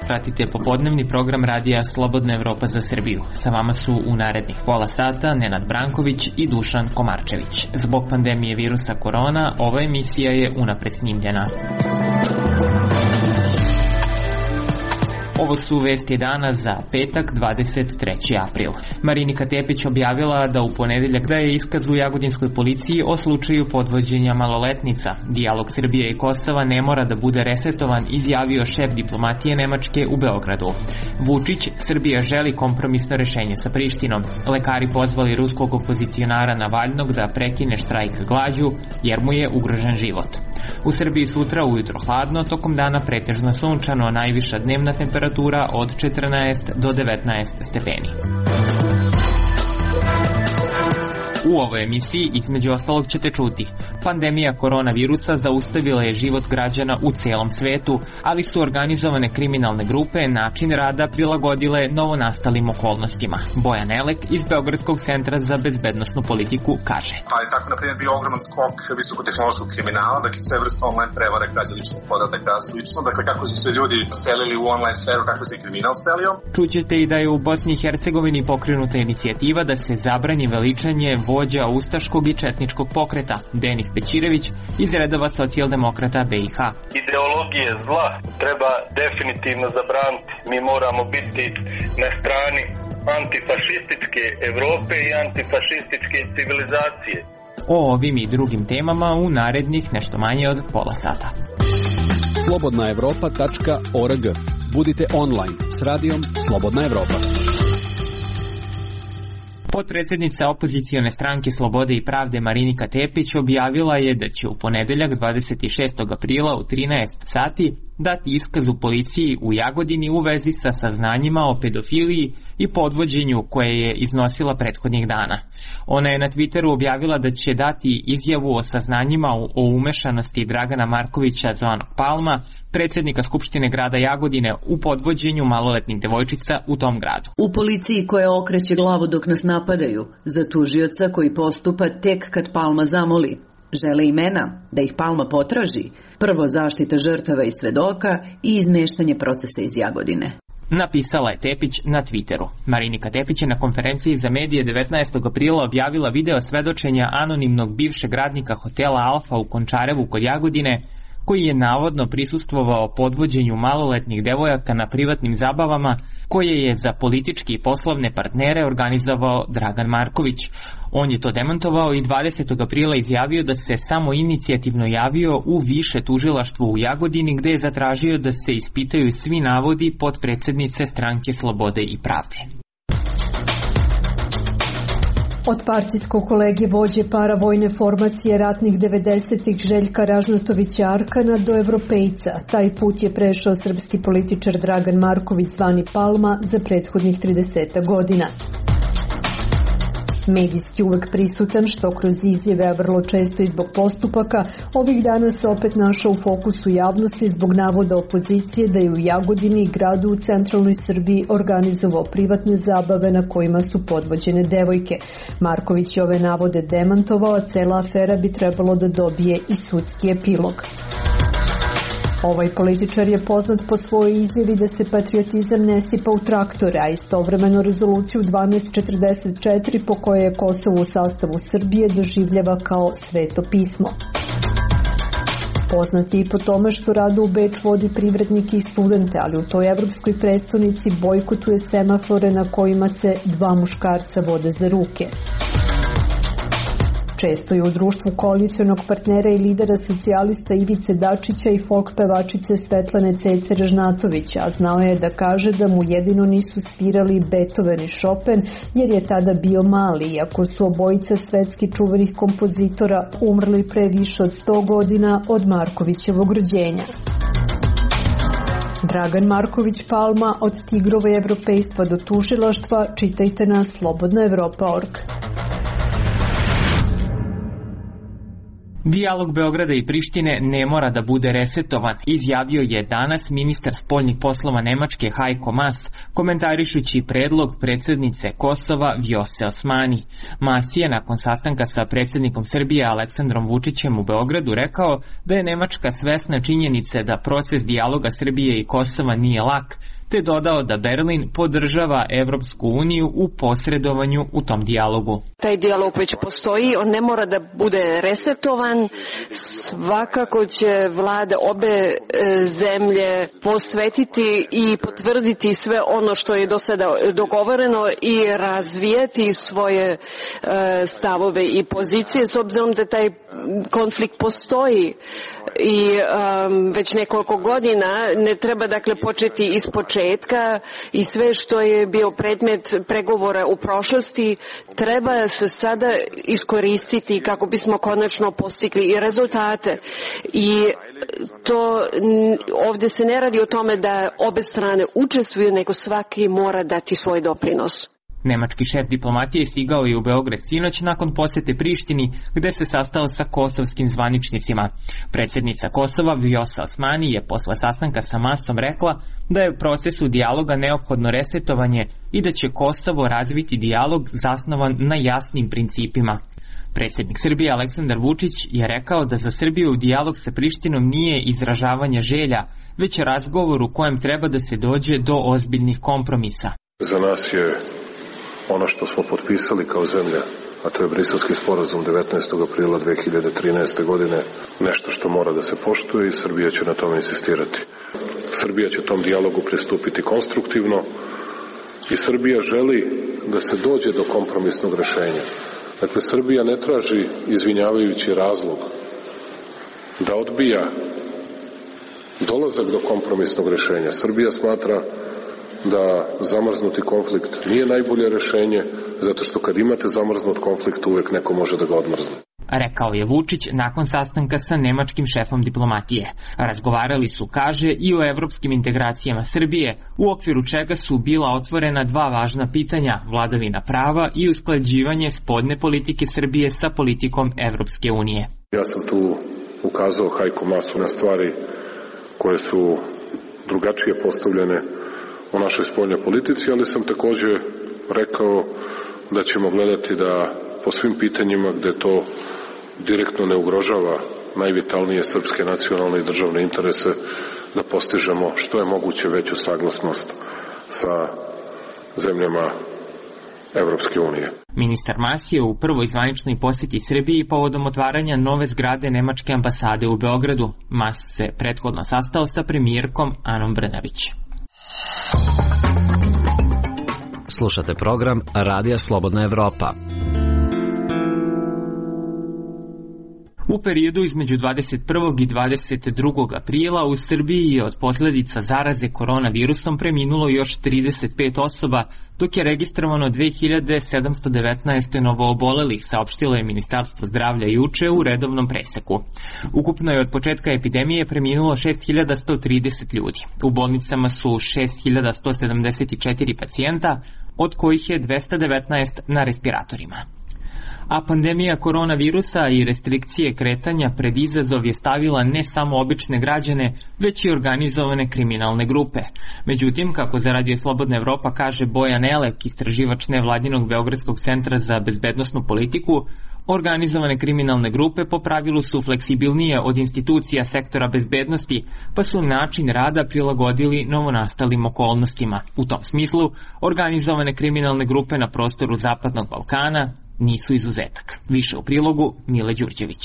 Pratite popodnevni program radija Slobodna Evropa za Srbiju. Sa vama su u narednih pola sata Nenad Branković i Dušan Komarčević. Zbog pandemije virusa korona, ova emisija je unapred snimljena. Ovo su vesti dana za petak, 23. april. Marinika Tepić objavila da u ponedeljak daje iskaz u jagodinskoj policiji o slučaju podvođenja maloletnica. Dijalog Srbije i Kosova ne mora da bude resetovan, izjavio šef diplomatije Nemačke u Beogradu. Vučić, Srbija želi kompromisno rešenje sa Prištinom. Lekari pozvali ruskog opozicionara Navalnog da prekine štrajk glađu jer mu je ugrožen život. U Srbiji sutra ujutro hladno, tokom dana pretežno sunčano, najviša dnevna temperatura od 14 do 19 stepeni. U ovoj emisiji između ostalog ćete čuti: pandemija koronavirusa zaustavila je život građana u celom svetu, ali su organizovane kriminalne grupe način rada prilagodile novonastalim okolnostima. Bojan Elek iz Beogradskog centra za bezbednosnu politiku kaže: Pa je tako, na primjer, bio ogroman skok visokotehnološkog kriminala, dakle sve vrste online prevare, krađa ličnih podataka, slično, dakle kako su se ljudi selili u online sferu, kako se i kriminal selio. Čućete i da je u Bosni i Hercegovini pokrenuta inicijativa da se zabrani veličanje vođa ustaškog i četničkog pokreta. Denis Bećirević iz redova socijaldemokrata BiH. Ideologije zla treba definitivno zabraniti. Mi moramo biti na strani antifašističke Evrope i antifašističke civilizacije. O ovim i drugim temama u narednih nešto manje od pola sata. slobodnaevropa.org. Budite online s radijom Slobodna Evropa. Potpredsjednica opozicione stranke Slobode i pravde Marinika Tepić objavila je da će u ponedeljak 26. aprila u 13 sati dati iskaz u policiji u Jagodini u vezi sa saznanjima o pedofiliji i podvođenju koje je iznosila prethodnih dana. Ona je na Twitteru objavila da će dati izjavu o saznanjima o umešanosti Dragana Markovića zvanog Palma, predsjednika Skupštine grada Jagodine, u podvođenju maloletnih devojčica u tom gradu. U policiji koja okreće glavu dok nas napadaju, za tužioca koji postupa tek kad Palma zamoli. Žele imena, da ih Palma potraži, prvo zaštita žrtava i svedoka i izmeštanje procesa iz Jagodine. Napisala je Tepić na Twitteru. Marinika Tepić je na konferenciji za medije 19. aprila objavila video svedočenja anonimnog bivšeg radnika hotela Alfa u Končarevu kod Jagodine, koji je navodno prisustvovao podvođenju maloletnih devojaka na privatnim zabavama koje je za politički i poslovne partnere organizovao Dragan Marković. On je to demantovao i 20. aprila izjavio da se samo inicijativno javio u više tužilaštvo u Jagodini, gde je zatražio da se ispitaju svi navodi potpredsjednice stranke Slobode i pravde. Od partijskog kolege vođe paravojne formacije ratnih 90-ih Željka Ražnatovića Arkana do evropejca, taj put je prešao srpski političar Dragan Marković zvani Palma za prethodnih 30 godina. Medijski uvek prisutan, što kroz izjave, a vrlo često i zbog postupaka, ovih dana se opet našao u fokusu javnosti zbog navoda opozicije da je u Jagodini, gradu u centralnoj Srbiji, organizovao privatne zabave na kojima su podvođene devojke. Marković je ove navode demantovao, a cela afera bi trebalo da dobije i sudski epilog. Ovaj političar je poznat po svojoj izjavi da se patriotizam ne sipa u traktore, a istovremeno rezoluciju 1244 po kojoj je Kosovo u sastavu Srbije doživljava kao sveto pismo. Poznat je i po tome što rado u Beč vodi privrednike i studente, ali u toj evropskoj prestonici bojkotuje semafore na kojima se dva muškarca vode za ruke. Često je u društvu koalicionog partnera i lidera socijalista Ivice Dačića i folk pevačice Svetlane Cece Ražnatovića, a znao je da kaže da mu jedino nisu svirali Beethoven i Chopin jer je tada bio mali, iako su obojica svetski čuvenih kompozitora umrli pre više od 100 godina od Markovićevog rođenja. Dragan Marković Palma, od tigrova evropejstva do tužilaštva, čitajte na slobodnaevropa.org. Dijalog Beograda i Prištine ne mora da bude resetovan, izjavio je danas ministar spoljnih poslova Nemačke Heiko Maas, komentarišući predlog predsjednice Kosova Vjose Osmani. Maas je nakon sastanka sa predsjednikom Srbije Aleksandrom Vučićem u Beogradu rekao da je Nemačka svesna činjenice da proces dijaloga Srbije i Kosova nije lak, te dodao da Berlin podržava Evropsku uniju u posredovanju u tom dijalogu. Taj dijalog već postoji, on ne mora da bude resetovan. Svakako će vlade obe zemlje posvetiti i potvrditi sve ono što je do sada dogovoreno i razvijeti svoje stavove i pozicije, s obzirom da taj konflikt postoji i već nekoliko godina. Ne treba dakle početi ispočetka i sve što je bio predmet pregovora u prošlosti treba se sada iskoristiti kako bismo konačno postigli i rezultate. I to ovdje se ne radi o tome da obe strane učestvuju, nego svaki mora dati svoj doprinos. Nemački šef diplomatije stigao je u Beograd sinoć nakon posjete Prištini, gde se sastao sa kosovskim zvaničnicima. Predsjednica Kosova Vjosa Osmani je posle sastanka sa Maasom rekla da je u procesu dijaloga neophodno resetovanje i da će Kosovo razviti dijalog zasnovan na jasnim principima. Predsjednik Srbije Aleksandar Vučić je rekao da za Srbiju dijalog sa Prištinom nije izražavanje želja, već razgovor u kojem treba da se dođe do ozbiljnih kompromisa. Za nas je ono što smo potpisali kao zemlja, a to je Briselski sporazum 19. aprila 2013. godine, nešto što mora da se poštuje i Srbija će na tome insistirati. Srbija će tom dijalogu pristupiti konstruktivno i Srbija želi da se dođe do kompromisnog rešenja. Dakle, Srbija ne traži izvinjavajući razlog da odbija dolazak do kompromisnog rešenja. Srbija smatra da zamrznuti konflikt nije najbolje rešenje, zato što kad imate zamrznut konflikt uvek neko može da ga odmrzne. Rekao je Vučić nakon sastanka sa nemačkim šefom diplomatije. Razgovarali su, kaže, i o evropskim integracijama Srbije, u okviru čega su bila otvorena dva važna pitanja, vladavina prava i usklađivanje spoljne politike Srbije sa politikom Evropske unije. Ja sam tu ukazao Heiko Maasu na stvari koje su drugačije postavljene u našoj spoljnoj politici, ali sam također rekao da ćemo gledati da po svim pitanjima gde to direktno ne ugrožava najvitalnije srpske nacionalne i državne interese, da postižemo što je moguće veću saglasnost sa zemljama Evropske unije. Ministar Maas je u prvoj zvaničnoj posjeti Srbiji povodom otvaranja nove zgrade Nemačke ambasade u Beogradu. Maas se prethodno sastao sa premijerkom Anom Brnabić. Slušate program Radija Slobodna Evropa. U periodu između 21. i 22. aprila u Srbiji je od posljedica zaraze koronavirusom preminulo još 35 osoba, dok je registrovano 2719 novoobolelih, saopštilo je Ministarstvo zdravlja juče u redovnom preseku. Ukupno je od početka epidemije preminulo 6130 ljudi. U bolnicama su 6174 pacijenta, od kojih je 219 na respiratorima. A pandemija koronavirusa i restrikcije kretanja pred izazov je stavila ne samo obične građane, već i organizovane kriminalne grupe. Međutim, kako za Radio Slobodna Evropa kaže Bojan Elek, istraživač nevladinog Beogradskog centra za bezbednosnu politiku, organizovane kriminalne grupe po pravilu su fleksibilnije od institucija sektora bezbednosti, pa su način rada prilagodili novonastalim okolnostima. U tom smislu, organizovane kriminalne grupe na prostoru Zapadnog Balkana nisu izuzetak. Više u prilogu Mile Đurđević.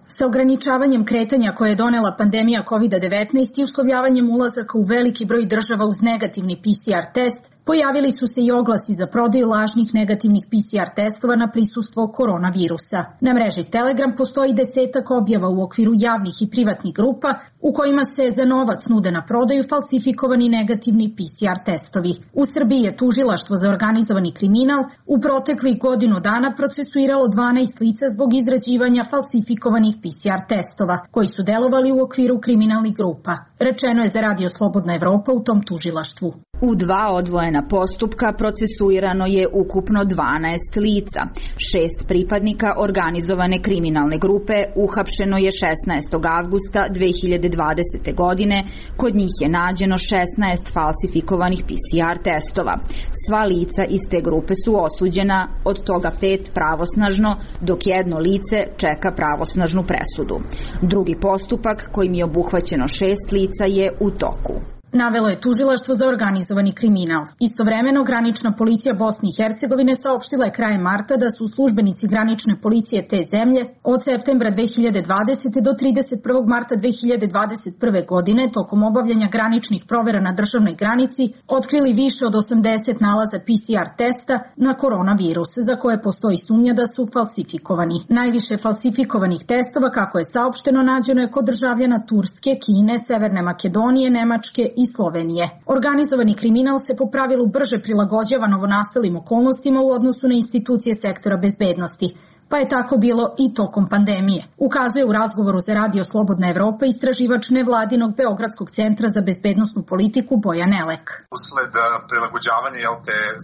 Sa ograničavanjem kretanja koje je donela pandemija COVID-19 i uslovljavanjem ulazaka u veliki broj država uz negativni PCR test, pojavili su se i oglasi za prodaju lažnih negativnih PCR testova na prisustvo koronavirusa. Na mreži Telegram postoji 10 objava u okviru javnih i privatnih grupa u kojima se za novac nude na prodaju falsifikovani negativni PCR testovi. U Srbiji je tužilaštvo za organizovani kriminal u proteklih godinu dana procesuiralo 12 lica zbog izrađivanja falsifikovanih PCR testova, koji su delovali u okviru kriminalnih grupa. Rečeno je za Radio Slobodna Evropa u tom tužilaštvu. U 2 odvojena postupka procesuirano je ukupno 12 lica. 6 pripadnika organizovane kriminalne grupe uhapšeno je 16. avgusta 2020. godine. Kod njih je nađeno 16 falsifikovanih PCR testova. Sva lica iz te grupe su osuđena, od toga 5 pravosnažno, dok jedno lice čeka pravosnažnu presudu. Drugi postupak, kojim je obuhvaćeno 6 lica, je u toku. Navelo je Tužilaštvo za organizovani kriminal. Istovremeno, granična policija Bosne i Hercegovine saopštila je krajem marta da su službenici granične policije te zemlje od septembra 2020. do 31. marta 2021. godine tokom obavljanja graničnih provera na državnoj granici otkrili više od 80 nalaza PCR testa na koronavirus, za koje postoji sumnja da su falsifikovani. Najviše falsifikovanih testova, kako je saopšteno, nađeno je kod državljana Turske, Kine, Severne Makedonije, Nemačke i Slovenije. Organizovani kriminal se po pravilu brže prilagođava novonastalim okolnostima u odnosu na institucije sektora bezbednosti, pa je tako bilo i tokom pandemije. Ukazuje u razgovoru za Radio Slobodna Evropa istraživač nevladinog Beogradskog centra za bezbednosnu politiku Bojan Elek. Usled prilagođavanja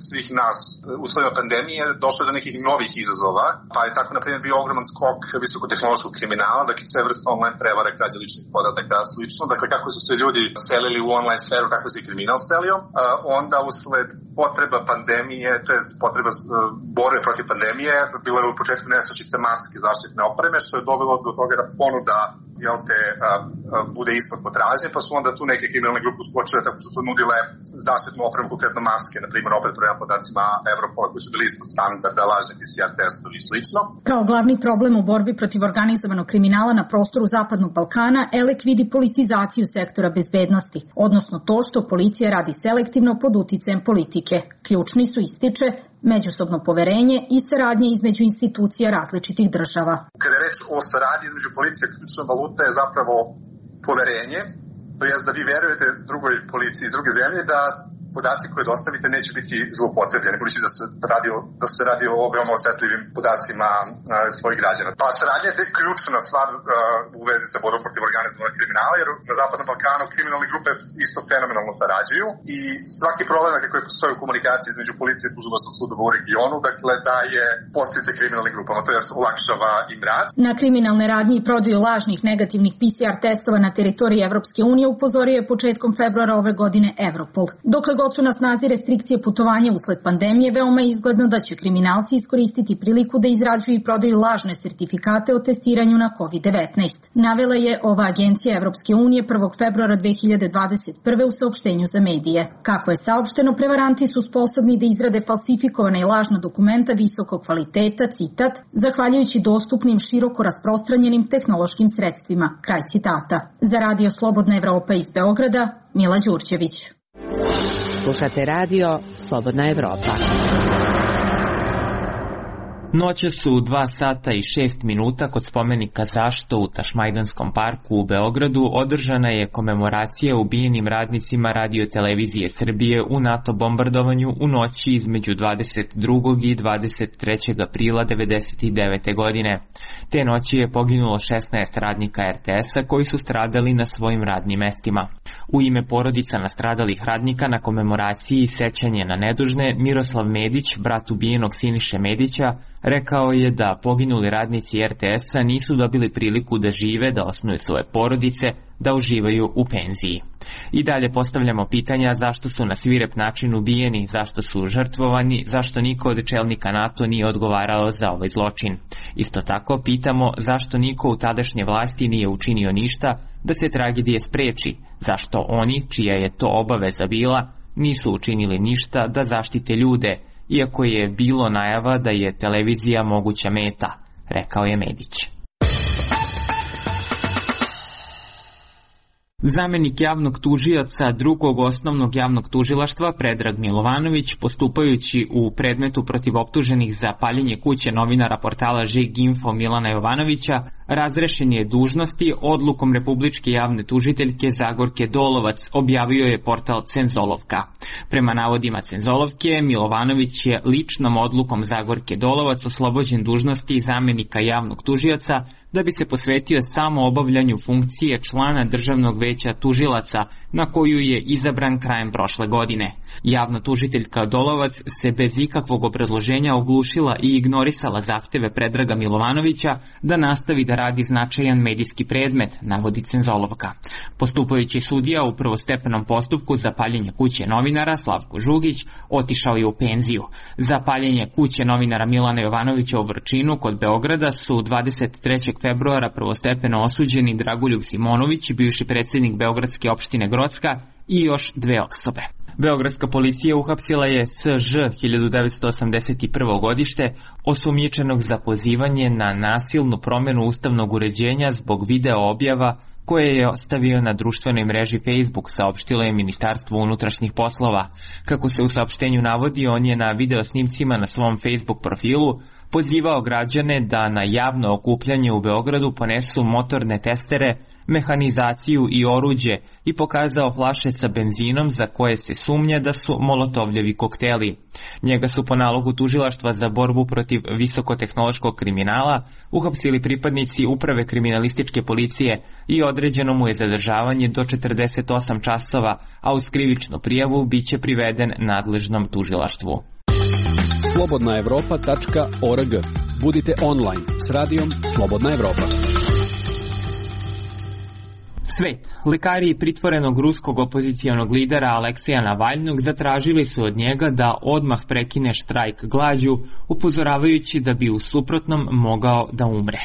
svih nas uslovima pandemije došlo je do nekih novih izazova, pa je tako na primjer bio ogroman skok visokotehnološkog kriminala, dakle sve vrste online prevare, krađe ličnih podataka, slično. Dakle, kako su se ljudi selili u online sferu, kako se i kriminal selio. Onda usled potreba pandemije, to je potreba borbe protiv pandemije, bilo je u početku nestašice maske, zaštitne opreme, što je dovelo do toga da ponuda bude ispod potražnje, pa su onda tu neke kriminalne grupe uskočile tako što su nudile zaštitnu opremu, konkretno maske, na primjer opet prema podacima Evropola koji su bili ispod standarda, lažni PCR testovi i slično. Kao glavni problem u borbi protiv organizovanog kriminala na prostoru Zapadnog Balkana, Elek vidi politizaciju sektora bezbednosti, odnosno to što policija radi selektivno pod uticajem politike. Ključni su, ističe, međusobno poverenje i saradnje između institucija različitih država. Kada je reč o saradnji između policije, ključna valuta je zapravo poverenje, to jest da vi verujete drugoj policiji iz druge zemlje da podaci koje dostavite neće biti zloupotrebljeni, budući da se radi o veoma osetljivim podacima svojih građana. Pa saradnja je ključna stvar u vezi sa borbom protiv organizovanog kriminala, jer na Zapadnom Balkanu kriminalne grupe isto fenomenalno sarađuju i svaki problem koji postoji u komunikaciji između policije i tužilaštva sudova u regionu, dakle daje podsticaj kriminalnim grupama, to jest olakšava im rad. Na kriminalne radnje i prodaju lažnih negativnih PCR testova na teritoriji Evropske unije upozorio je početkom februara ove godine Europol. Dokle god su na snazi restrikcije putovanja usled pandemije, veoma je izgledno da će kriminalci iskoristiti priliku da izrađuju i prodaju lažne sertifikate o testiranju na COVID-19. Navela je ova agencija Evropske unije 1. februara 2021. u saopštenju za medije. Kako je saopšteno, prevaranti su sposobni da izrade falsifikovane i lažna dokumenta visokog kvaliteta, citat, zahvaljujući dostupnim široko rasprostranjenim tehnološkim sredstvima. Kraj citata. Za Radio Slobodna Evropa iz Beograda, Mila Đurđević. Slušate Radio Slobodna Evropa. Noće su 2 sata i 6 minuta kod spomenika Zašto u Tašmajdanskom parku u Beogradu održana je komemoracija ubijenim radnicima Radio-televizije Srbije u NATO bombardovanju u noći između 22. i 23. aprila 1999. godine. Te noći je poginulo 16 radnika RTS-a koji su stradali na svojim radnim mestima. U ime porodica nastradalih radnika na komemoraciji i sećanje na nedužne, Miroslav Medić, brat ubijenog Siniše Medića, rekao je da poginuli radnici RTS-a nisu dobili priliku da žive, da osnuju svoje porodice, da uživaju u penziji. I dalje postavljamo pitanja zašto su na svirep način ubijeni, zašto su žrtvovani, zašto niko od čelnika NATO nije odgovarao za ovaj zločin. Isto tako pitamo zašto niko u tadašnje vlasti nije učinio ništa da se tragedije spreči, zašto oni, čija je to obaveza bila, nisu učinili ništa da zaštite ljude, iako je bilo najava da je televizija moguća meta, rekao je Medić. Zamenik javnog tužioca drugog osnovnog javnog tužilaštva Predrag Milovanović, postupajući u predmetu protiv optuženih za paljenje kuće novinara portala Žig Info Milana Jovanovića, razrešen je dužnosti odlukom republičke javne tužiteljke Zagorke Dolovac, objavio je portal Cenzolovka. Prema navodima Cenzolovke, Milovanović je ličnom odlukom Zagorke Dolovac oslobođen dužnosti zamenika javnog tužioca da bi se posvetio samo obavljanju funkcije člana Državnog veća tužilaca, na koju je izabran krajem prošle godine. Javna tužiteljka Dolovac se bez ikakvog obrazloženja oglušila i ignorisala zahteve Predraga Milovanovića da nastavi da radi značajan medijski predmet, navodi Cenzolovka. Postupajući sudija u prvostepenom postupku za paljenje kuće novinara Slavko Žugić otišao je u penziju. Za paljenje kuće novinara Milana Jovanovića u Vrčinu kod Beograda su 23. februara prvostepeno osuđeni Dragoljub Simonović, bivši predsjednik Beogradske opštine Grocka, i još 2 osobe. Beogradska policija uhapsila je S.Ž. 1981. godište, osumnjičenog za pozivanje na nasilnu promjenu ustavnog uređenja zbog video objava koje je ostavio na društvenoj mreži Facebook, saopštilo je Ministarstvo unutrašnjih poslova. Kako se u saopštenju navodi, on je na videosnimcima na svom Facebook profilu pozivao građane da na javno okupljanje u Beogradu ponesu motorne testere, mehanizaciju i oruđe i pokazao flaše sa benzinom za koje se sumnja da su molotovljevi kokteli. Njega su po nalogu Tužilaštva za borbu protiv visokotehnološkog kriminala uhapsili pripadnici Uprave kriminalističke policije i određeno mu je zadržavanje do 48 časova, a uz krivičnu prijavu biće priveden nadležnom tužilaštvu. slobodnaevropa.org. Budite online s radijom Slobodna Evropa. Svet. Lekari pritvorenog ruskog opozicijonog lidera Alekseja Navalnog zatražili su od njega da odmah prekine štrajk glađu, upozoravajući da bi u suprotnom mogao da umre.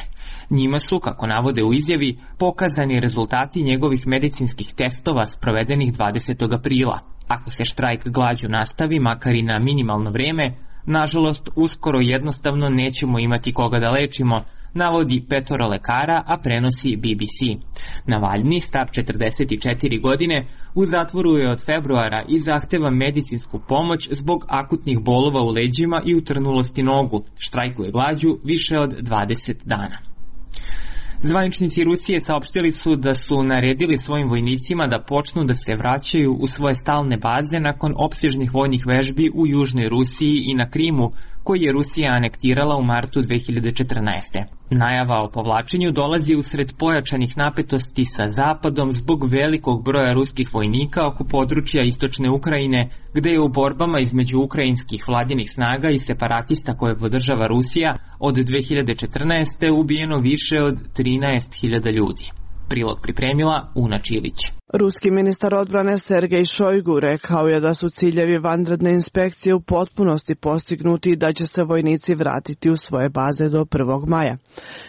Njima su, kako navode u izjavi, pokazani rezultati njegovih medicinskih testova sprovedenih 20. aprila. Ako se štrajk glađu nastavi, makar i na minimalno vreme, nažalost, uskoro jednostavno nećemo imati koga da lečimo, navodi 5 lekara, a prenosi BBC. Navalni, star 44 godine, u zatvoru je od februara i zahteva medicinsku pomoć zbog akutnih bolova u leđima i utrnulosti nogu. Štrajkuje glađu više od 20 dana. Zvaničnici Rusije saopštili su da su naredili svojim vojnicima da počnu da se vraćaju u svoje stalne baze nakon opsežnih vojnih vežbi u Južnoj Rusiji i na Krimu, koji je Rusija anektirala u martu 2014. Najava o povlačenju dolazi usred pojačanih napetosti sa Zapadom zbog velikog broja ruskih vojnika oko područja istočne Ukrajine, gde je u borbama između ukrajinskih vladinih snaga i separatista koje podržava Rusija od 2014. ubijeno više od 13.000 ljudi. Prilog pripremila Una Čilić. Ruski ministar odbrane Sergej Šojgu rekao je da su ciljevi vanredne inspekcije u potpunosti postignuti i da će se vojnici vratiti u svoje baze do 1. maja.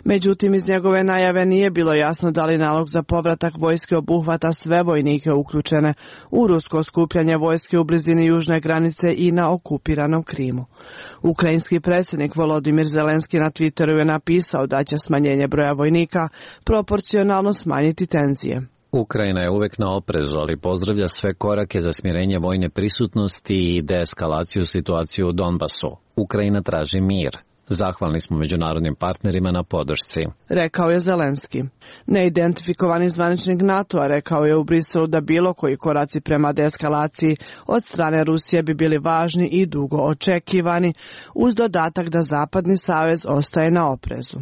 Međutim, iz njegove najave nije bilo jasno da li nalog za povratak vojske obuhvata sve vojnike uključene u rusko skupljanje vojske u blizini južne granice i na okupiranom Krimu. Ukrajinski predsjednik Volodimir Zelenski na Twitteru je napisao da će smanjenje broja vojnika proporcionalno smanjiti tenzije. Ukrajina je uvek na oprezu, ali pozdravlja sve korake za smirenje vojne prisutnosti i deeskalaciju situacije u Donbasu. Ukrajina traži mir. Zahvalni smo međunarodnim partnerima na podršci, rekao je Zelenski. Neidentifikovani zvaničnik NATO-a rekao je u Briselu da bilo koji koraci prema deeskalaciji od strane Rusije bi bili važni i dugo očekivani, uz dodatak da Zapadni savez ostaje na oprezu.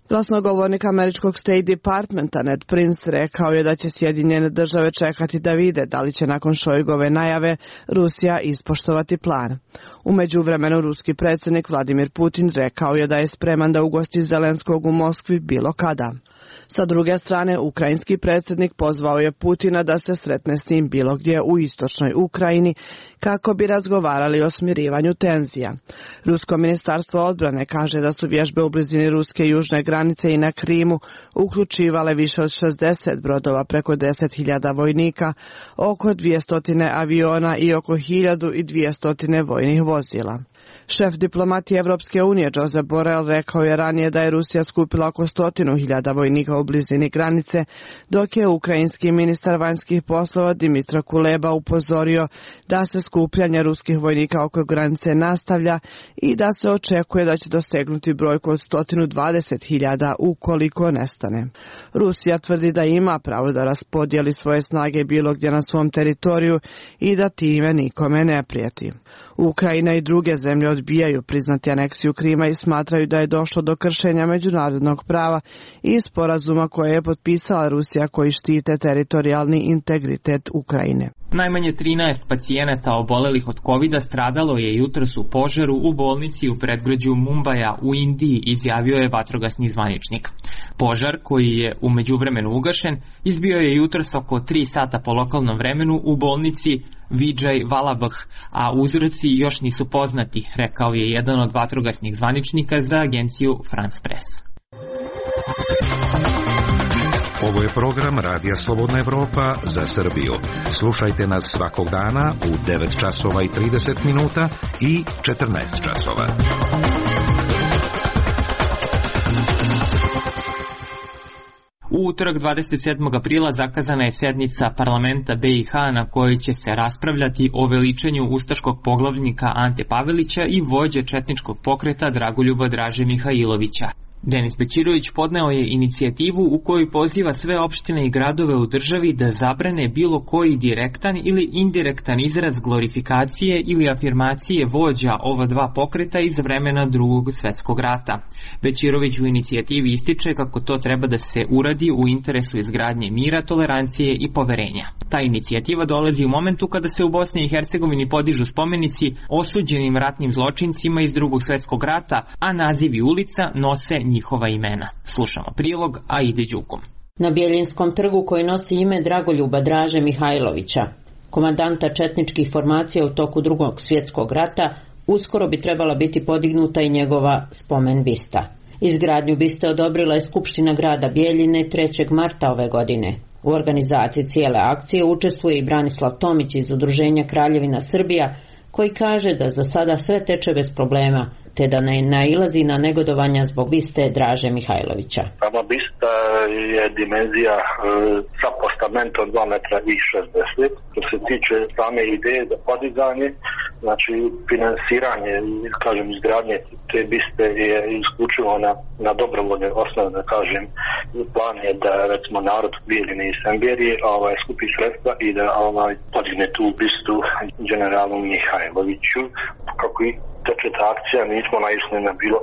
Glasnogovornik američkog State Departmenta Ned Prince rekao je da će Sjedinjene države čekati da vide da li će nakon Šojgove najave Rusija ispoštovati plan. U međuvremenu ruski predsjednik Vladimir Putin rekao je da je spreman da ugosti Zelenskog u Moskvi bilo kada. Sa druge strane, ukrajinski predsjednik pozvao je Putina da se sretne s njim bilo gdje u istočnoj Ukrajini kako bi razgovarali o smirivanju tenzija. Rusko ministarstvo odbrane kaže da su vježbe u blizini ruske južne granice i na Krimu uključivale više od 60 brodova, preko 10.000 vojnika, oko 200 aviona i oko 1.200 vojnih vozila. Šef diplomatije Evropske unije Josep Borrell rekao je ranije da je Rusija skupila oko 100.000 vojnika u blizini granice, dok je ukrajinski ministar vanjskih poslova Dmytro Kuleba upozorio da se skupljanje ruskih vojnika oko granice nastavlja i da se očekuje da će dostegnuti brojku od 120.000 ukoliko nestane. Rusija tvrdi da ima pravo da raspodijeli svoje snage bilo gdje na svom teritoriju i da time nikome ne prijeti. Ukrajina i druge zemlje odbijaju priznati aneksiju Krima i smatraju da je došlo do kršenja međunarodnog prava i sporazuma koje je potpisala Rusija koji štite teritorijalni integritet Ukrajine. Najmanje 13 pacijenata obolelih od covida stradalo je jutros u požaru u bolnici u predgrađu Mumbaja u Indiji, izjavio je vatrogasni zvaničnik. Požar, koji je u međuvremenu ugašen, izbio je jutros oko 3 sata po lokalnom vremenu u bolnici Vijay Vallabh, a uzroci još nisu poznati, rekao je jedan od vatrogasnih zvaničnika za agenciju France Press. Ovo je program Radija Slobodna Evropa za Srbiju. Slušajte nas svakog dana u 9 časova i 30 minuta i 14 časova. U utorak 27. aprila zakazana je sednica parlamenta BiH na kojoj će se raspravljati o veličanju ustaškog poglavnika Ante Pavelića i vođe četničkog pokreta Dragoljuba Draže Mihajlovića. Denis Bećirović podneo je inicijativu u kojoj poziva sve opštine i gradove u državi da zabrane bilo koji direktan ili indirektan izraz glorifikacije ili afirmacije vođa ova dva pokreta iz vremena Drugog svjetskog rata. Bećirović u inicijativi ističe kako to treba da se uradi u interesu izgradnje mira, tolerancije i poverenja. Ta inicijativa dolazi u momentu kada se u Bosni i Hercegovini podižu spomenici osuđenim ratnim zločincima iz Drugog svjetskog rata, a nazivi ulica nose njihova imena. Slušamo prilog Aide Đukom. Na Bjeljinskom trgu koji nosi ime Dragoljuba Draže Mihajlovića, komandanta četničkih formacija u toku Drugog svjetskog rata, uskoro bi trebala biti podignuta i njegova spomen bista. Izgradnju biste odobrila je Skupština grada Bjeljine 3. marta ove godine. U organizaciji cijele akcije učestvuje i Branislav Tomić iz Udruženja Kraljevina Srbija, koji kaže da za sada sve teče bez problema, te da ne nailazi na negodovanja zbog biste Draže Mihajlovića. Sama bista je dimenzija sa postamentom 2 metra i 60. Što se tiče same ideje za podizanje, znači finansiranje, kažem, izgradnje te biste je isključivo na dobrovoljnoj osnovi, da kažem, plan je da recimo narod Bijeljine i Semberije skupi sredstva i da podigne tu bistu generalu Mihajloviću. Kako i teče ta akcija, nismo naišli na bilo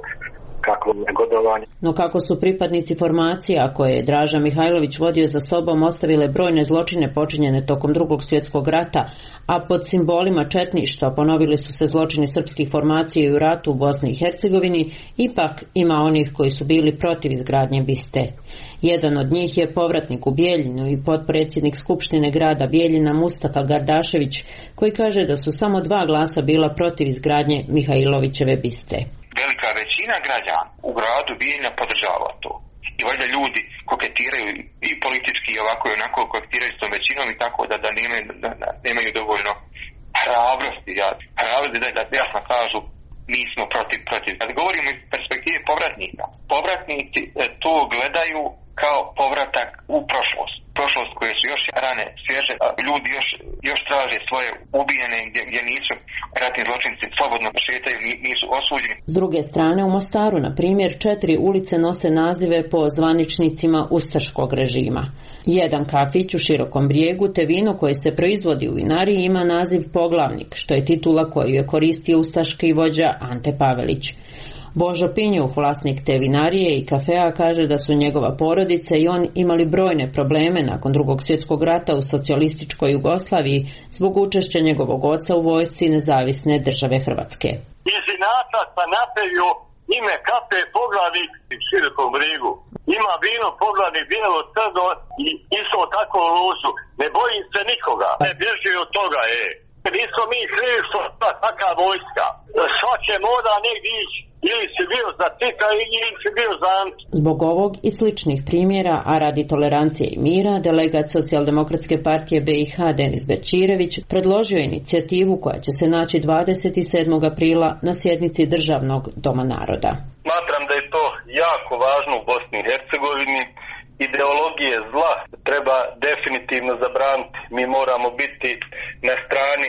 kakvo negodovanje. No kako su pripadnici formacija koje je Draža Mihajlović vodio za sobom ostavile brojne zločine počinjene tokom Drugog svjetskog rata, a pod simbolima četništva ponovili su se zločini srpskih formacija u ratu u Bosni i Hercegovini, ipak ima onih koji su bili protiv izgradnje biste. Jedan od njih je povratnik u Bijeljinu i potpredsjednik Skupštine grada Bijeljina Mustafa Gardašević, koji kaže da su samo 2 glasa bila protiv izgradnje Mihajlovićeve biste. Velika većina građana u gradu Bijeljina podržava to. I valjda ljudi koketiraju i politički i ovako i onako koketiraju s tom većinom i tako da nemaju dovoljno hrabrosti da jasno kažu mi smo protiv. Kad govorimo iz perspektive povratnika, povratnici to gledaju kao povratak u prošlost koje su još rane svježe, ljudi još traže svoje ubijene gdje nisu ratni zločinci, slobodno šetaju, nisu osuđeni. S druge strane, u Mostaru, na primjer, 4 ulice nose nazive po zvaničnicima ustaškog režima. Jedan kafić u Širokom Brijegu te vino koje se proizvodi u vinariji ima naziv Poglavnik, što je titula koju je koristio ustaški vođa Ante Pavelić. Božo Pinjuh, vlasnik te vinarije i kafea, kaže da su njegova porodica i on imali brojne probleme nakon Drugog svjetskog rata u socijalističkoj Jugoslaviji zbog učešća njegovog oca u vojsci Nezavisne države Hrvatske. Iz inata sam napravio ime kafe Poglavnik u Širokom Brijegu. Ima vino Poglavnik, bijelo, crno i isto tako luzu. Ne bojim se nikoga. Ne bježi od toga, Nismo mi krivi što je taka vojska. Svake mora negdje ići. Ili si bio za Tita ili si bio za Ante. Zbog ovog i sličnih primjera, a radi tolerancije i mira, delegat Socijaldemokratske partije BiH Denis Bećirević predložio inicijativu koja će se naći 27. aprila na sjednici Državnog doma naroda. Smatram da je to jako važno u Bosni i Hercegovini. Ideologije zla treba definitivno zabraniti. Mi moramo biti na strani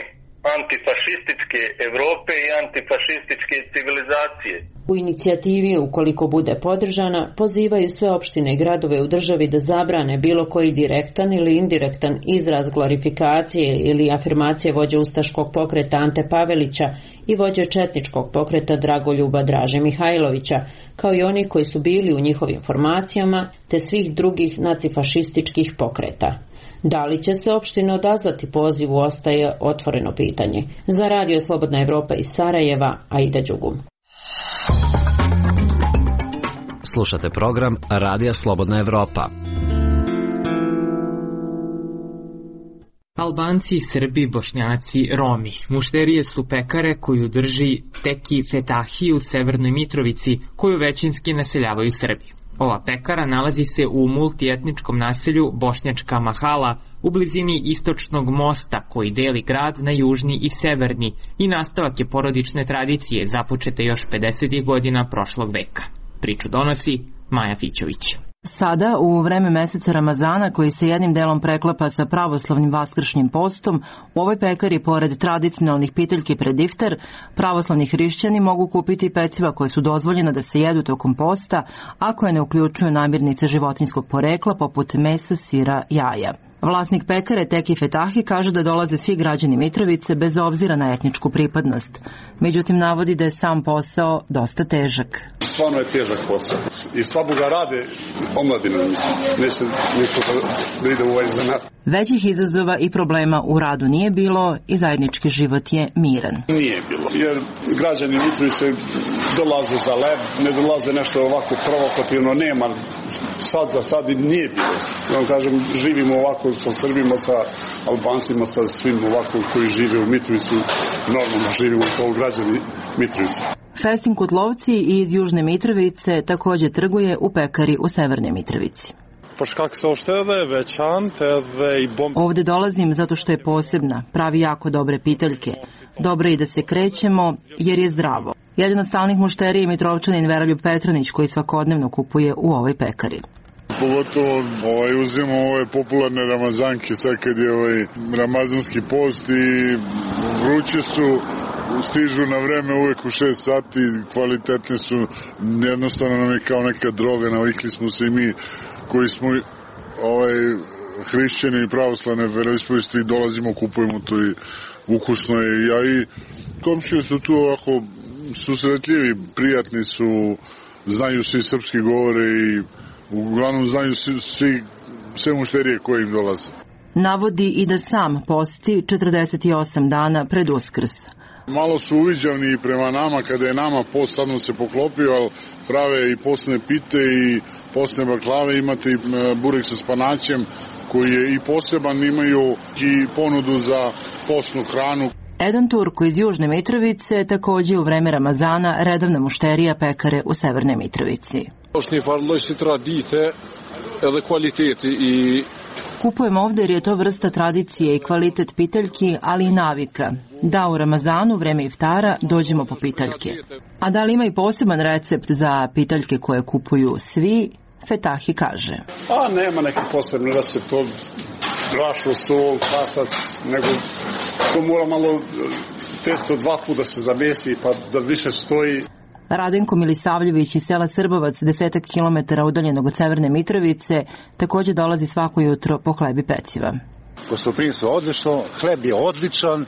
antifašističke Evrope i antifašističke civilizacije. U inicijativi, ukoliko bude podržana, pozivaju sve opštine i gradove u državi da zabrane bilo koji direktan ili indirektan izraz glorifikacije ili afirmacije vođe ustaškog pokreta Ante Pavelića i vođe četničkog pokreta Dragoljuba Draže Mihajlovića, kao i oni koji su bili u njihovim formacijama, te svih drugih nacifašističkih pokreta. Da li će se opštine odazvati pozivu ostaje otvoreno pitanje. Za Radio Slobodna Evropa iz Sarajeva, Aida Đugum. Slušate program Radija Slobodna Evropa. Albanci, Srbi, Bošnjaci, Romi. Mušterije su pekare koju drži Teki Fetahi u Severnoj Mitrovici, koju većinski naseljavaju Srbi. Ova pekara nalazi se u multietničkom naselju Bošnjačka Mahala u blizini istočnog mosta koji deli grad na južni i severni i nastavak je porodične tradicije započete još 50. godina prošlog veka. Priču donosi Maja Fićović. Sada, u vreme meseca Ramazana, koji se jednim delom preklapa sa pravoslavnim vaskršnjim postom, u ovoj pekari, pored tradicionalnih piteljki pred iftar, pravoslavni hrišćani mogu kupiti peciva koje su dozvoljene da se jedu tokom posta, a koje ne uključuju namirnice životinjskog porekla poput mesa, sira, jaja. Vlasnik pekare Teki Fetahi kaže da dolaze svi građani Mitrovice bez obzira na etničku pripadnost. Međutim, navodi da je sam posao dosta težak. Stvarno je težak posao. I slabo ga rade omladina. Neće niko da ide u ovaj zanat. Većih izazova i problema u radu nije bilo i zajednički život je miran. Nije bilo, jer građani Mitrovice dolaze za leb, ne dolaze nešto ovako provokativno, nema. Sad za sad i nije bilo. Ja vam kažem, živimo ovako sa Srbima, sa Albancima, sa svim ovako koji žive u Mitrovici, normalno živimo kao građani Mitrovice. Festin Kutlovci iz Južne Mitrovice također trguje u pekari u Severnoj Mitrovici. Ovde dolazim zato što je posebna, pravi jako dobre piteljke. Dobro je i da se krećemo jer je zdravo. Jedan od stalnih mušterija je Mitrovčanin Veroljub Petronić koji svakodnevno kupuje u ovoj pekari. Pogotovo uzimamo ove popularne ramazanke sad kad je ramazanski post i vruće su, stižu na vreme uvek u 6 sati, kvalitetne su, jednostavno nam je kao neka droga, navikli smo se i mi koji smo hrišćani i pravoslavne veroispovesti, dolazimo, kupujemo to i ukusno je. Ja i komšije su tu ovako susretljivi, prijatni su, znaju svi srpski govore i uglavnom znaju sve mušterije koje im dolaze. Navodi i da sam posti 48 dana pred Uskrs. Malo su uviđavni prema nama, kada je nama post sadno se poklopio, ali prave i postne pite i postne baklave, imate i burek sa spanaćem koji je i poseban, imaju i ponudu za postnu hranu. Edan Turko iz Južne Mitrovice također u vreme Ramazana redovna mušterija pekare u Severnoj Mitrovici. Kupujemo ovdje jer je to vrsta tradicije i kvalitet piteljki, ali i navika. Da u Ramazanu, vreme iftara, dođemo po piteljke. A da li ima i poseban recept za piteljke koje kupuju svi? Fetahi kaže. Nema neki posebni recept, to brašno, sol, krasac, nego to mora malo testo 2 puta da se zamesi pa da više stoji. Radenko Milisavljević iz sela Srbovac, 10 km udaljenog od Severne Mitrovice, također dolazi svako jutro po hleb i peciva. Gostoprimstvo je odlično, hleb je odličan,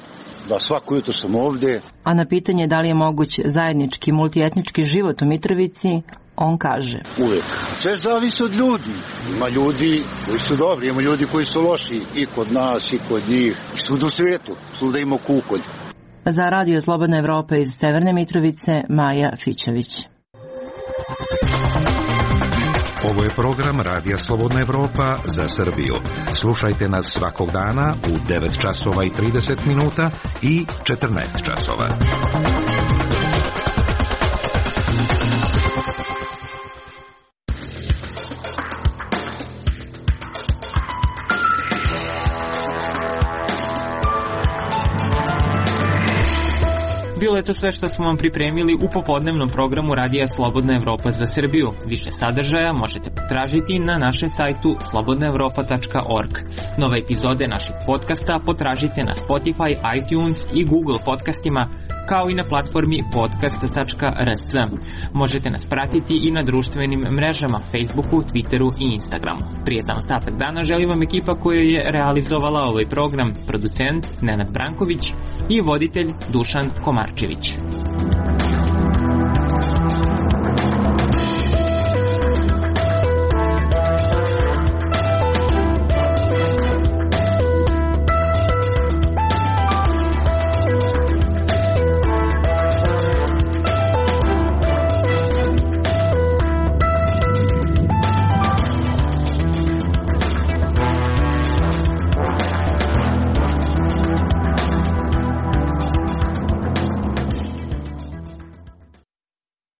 da svako jutro sam ovdje. A na pitanje da li je moguć zajednički multietnički život u Mitrovici, on kaže. Uvijek. Sve zavisi od ljudi. Ima ljudi koji su dobri, ima ljudi koji su loši i kod nas i kod njih. I svuda u svijetu, svuda ima kukolj. Za Radio Slobodna Evropa iz Severne Mitrovice, Maja Fićević. Ovo je program Radija Slobodna Evropa za Srbiju. Slušajte nas svakog dana u 9 časova i 30 minuta i 14 časova. Bilo je to sve što smo vam pripremili u popodnevnom programu Radija Slobodna Evropa za Srbiju. Više sadržaja možete potražiti na našem sajtu slobodnaevropa.org. Nove epizode naših podcasta potražite na Spotify, iTunes i Google podcastima, kao i na platformi podcast.rs. Možete nas pratiti i na društvenim mrežama Facebooku, Twitteru i Instagramu. Prijetan ostatak dana želi vam ekipa koja je realizovala ovaj program, producent Nenad Branković i voditelj Dušan Komarčević.